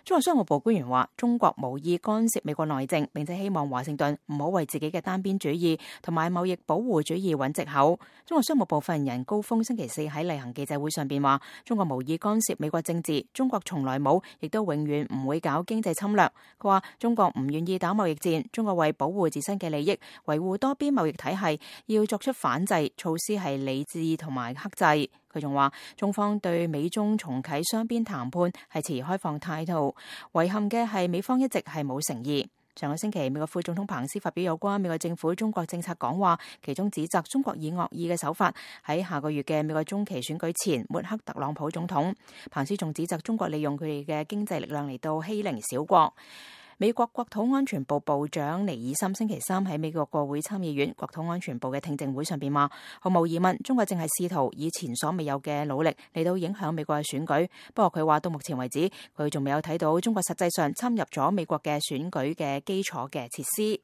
中國商務部官員話，中國無意干涉美國內政，並且希望華盛頓唔好為自己嘅單邊主義同埋貿易保護主義揾藉口。中國商務部發言人高峰星期四喺例行記者會上邊話，中國無意干涉美國政治，中國從來冇，亦都永遠唔會搞經濟侵略。佢話中國唔願意打貿易戰，中國為保護自身嘅利益，維護多邊貿易體系，要作出反制措施係理智同埋克制。佢仲話，中方對美中重啟雙邊談判係持開放態度，遺憾嘅係美方一直係冇誠意。上個星期，美國副總統彭斯發表有關美國政府中國政策講話，其中指責中國以惡意嘅手法喺下個月嘅美國中期選舉前抹黑特朗普總統。彭斯仲指責中國利用佢哋嘅經濟力量嚟到欺凌小國。美國國土安全部部長尼爾森星期三喺美國國會參議院國土安全部嘅聽證會上邊話，毫無疑問，中國正係試圖以前所未有嘅努力嚟到影響美國嘅選舉。不過佢話到目前為止，佢仲未有睇到中國實際上參入咗美國嘅選舉嘅基礎嘅設施。